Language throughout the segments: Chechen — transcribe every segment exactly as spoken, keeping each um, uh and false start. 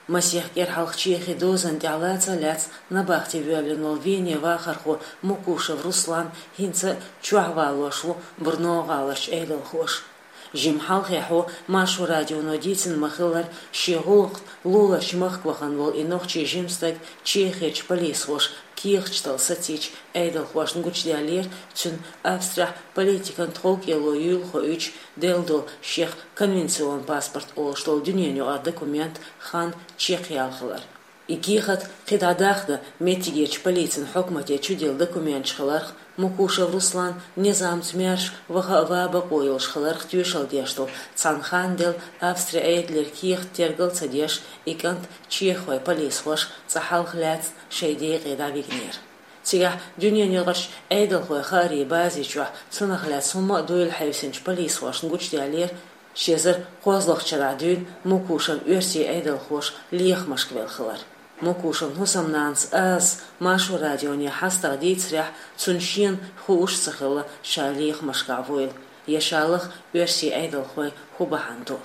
Масех кӀира хьалха Чехин дозанна тӀехь лаца а лаьцна набахте воьллина волу Вене вахархо Мукушев Руслан хӀинца а чохь валош ву Брно-гӀаларчу Ӏедалхоша. Жимма хьалхе хьо Маршо радионо дийцина ма-хиллара, шен гӀуллакх луларчу махка вахана волу и нохчийн жима стаг Чехерчу полисхоша кехаташ дала сацийча, Ӏедалхошна гучудаьллера цуьнан Австрехь политикан тховкӀело юйла хоуьйтуш делла долу шех конвенционан паспорт олуш долу дуьненан юкъара документ хан чекхъяла хилар. И кехат кхидӀа дахна, меттигерчу полицин хьукмате чуделла документаш хиларх, Мукушев Руслан низамца маьрша ваха а ван бакъо йолуш хиларх тоьшалла деш долу цхьана хан делла Австрин Ӏедалера кехат тергал а ца деш, и кӀант чеххойн полисхоша цкъа хьалха лаьцна шайн декъе дӀавигнера. Цигахь дуьненан юкъарчу Ӏедалхойн хаарийн бази чохь цунах лаьцна хӀумма а дуйла хьаьвсинчу полисхошна гучудаьллера, ши эзар кхозлагӀчу шарахь дуьйна Мукушев оьрсийн Ӏедалхоша лехамашка велла хилар. Мукушевн хӀусамнанас Азас Маршо радионе хьастагӀа дийцарехь, цунна шена хууш а ца хилла, ша лехамашкахь вуйла, я ша лаха оьрсийн Ӏедалхойн хӀун бахьана ду.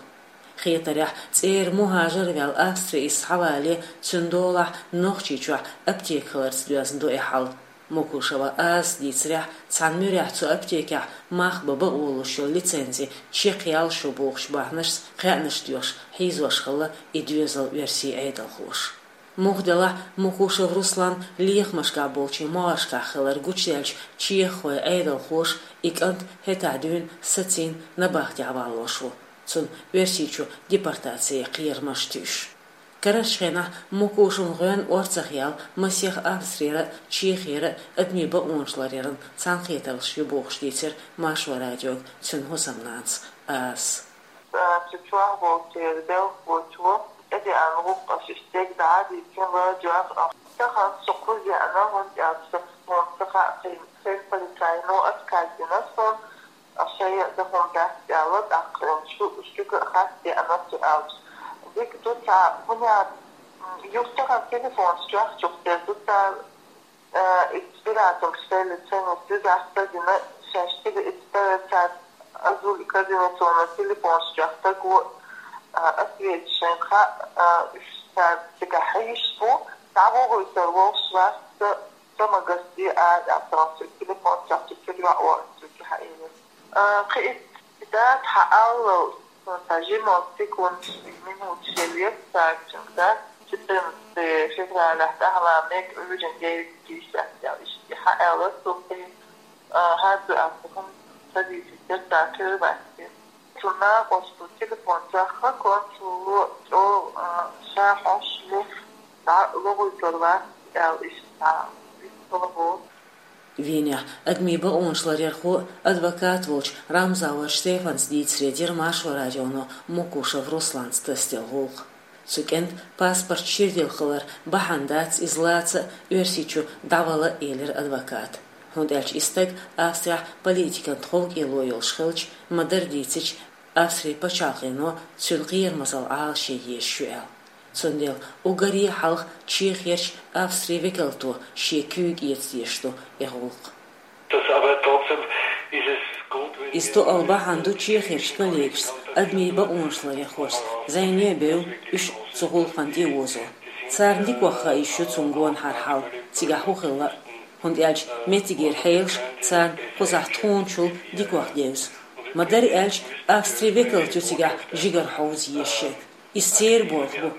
Хетарехь, цӀера мухӀажар а ваьлла Австре иза схьавале, цуьнан долахь Нохчийчохь аптека хиларца доьзна ду и хьал. Мукушева Азас дийцарехь, цхьана муьрехь цу аптекехь мах бан бакъо луш йолу лицензи чекхъяла шу бохучу бахьанашца кхаьънаш доьхуш, хьийзош хилла и доьзал оьрсийн Ӏедалхоша. Муха делахь а, Мукушев Руслан лехамашкахь болчийн могӀаршкахь хилар гучудаьлча, чеххойн Ӏедалхоша и кӀант хӀетахь дуьйна сацийна набахтехь валош ву, цунна Оьрсийчу депортацин кхерамаш туьйсуш. Карарчу хенахь Мукушевн гӀоьнна орцах яьлла масех Австрера а, Чехера а адамийн бакъонаш ларъяран цхьаьнакхетарш ю бохуш дийцира Маршо радиога цуьнан хӀусамнанас Азас. Цу чохь волчеран белхалочо тӀедеана гӀуллакхаш иштта дӀа а дийцина, ладоьгӀна, тахана со кхуза еана, хӀунда аьлча суна ца хаьа, кхин, кхин полицайно отказ дина суна, шайн а дан хӀума дац аьлла, тӀаккха шу, шуьга а хатта деана цу аьлча. Дика ду цара, хӀунда аьлча, м, юха тахана телефонаш чохь чухтер ду цара, э, избирательская ценность дизастра дина, шаьш цига эцтара цара азули кабинетона телефонаш чохь стаг ву, э, ответчик шайн хаьа, э, уьш цара цигахь хьийзаш бу, цхьа вогӀуьйтур волуш вац, ца, ца магазде а, аьлла, телефон чохь чу чуьра йоӀ ву, цуьнга хьаийна. А, кхин и дата хьааллал, цхьа жималц секундаш, минуташ елла цаьрга, дата четырнадцатое февралехь тӀаьхьа мега Ӏуьйранна девять пятьдесят аьлла, иштта хьааьлла цо кхин, а, хӀара ду аьлла, хӀума ца дийцира, цара кхера ваьстира. Цу накъосту телефон чохь консуло чӀогӀа, а, ша хьош ло, дӀа лохуьйтур вац аьлла, иштта вистхила боху. Венехь адамийн бакъонаш ларъярхо а, адвокат а волчу Рамзауэр Штефанс дийцаре дира Маршо радионо Мукушев Русланца тасаделла гӀуллакх. Цу кӀентан паспорт ширделла хилар бахьана дац иза лаца а, Оьрсийчу дӀавала а, элира адвоката. ХӀунда аьлча и стаг Австрехь политикан тховкӀело йолуш хилча, ма-дарра дийцича, Австрин пачхьалкхено цуьнан кхерамазалла Ӏалашъе езаш ю аьлла. Цундела уггаре а хьалха Чехерчу Австрин векалто шен куьйга эца дезаш ду и гӀуллакх. Иза тоъал бахьана ду чехерчу коллегашца, адамийн бакъонаш ларъярхошца зӀене а бевлла, уьш цу гӀуллакхна тӀе а озо. Царна дикох хаа йиш ю цунна гонахьара хьал, цигахь хӀун хилла а. ХӀунда аьлча меттигера хьелаш царна кхузахь тхуначул дикох девза. Ма-дарра аьлча, Австрин векалт ю цигахь жигара хьовза езаш ерг. Иза церан болх бу.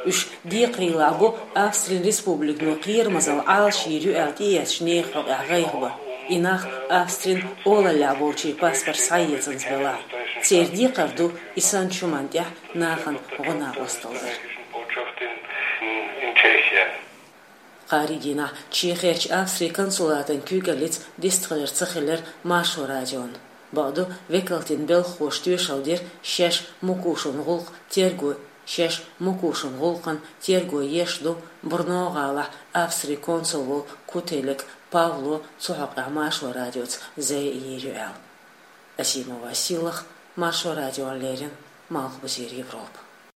Уьш декхарийлахь бу Австрин республикано кхерамазалла Ӏалашйийр ю аьлла тӀеэцначу нехан хьокъехь гӀайгӀа бан. И нах Австрин олаллехь болчийн паспорт схьаэцанза белахь. Церан декхар ду и санначу хӀуманна тӀехь нахана гӀо-накъосталла дар. Кхаарин дийнахь Чехерчу Австрин консулатан куьйгаллица дистхилар ца хилира Маршо радиона. Бакъду, векалтийн белхахоша тоьшалла дира, шаьш Мукушевн гӀуллакх терго, шаьш Мукушевн гӀуллакхна терго еш ду Брно-гӀалахь Австрин консул волу Кутелек Павло, цу хьокъехь Маршо радиоца зӀе а йийр ю аьлла. Асимова Сийлаха, Маршо радиона леррина, Малхбузера Европа.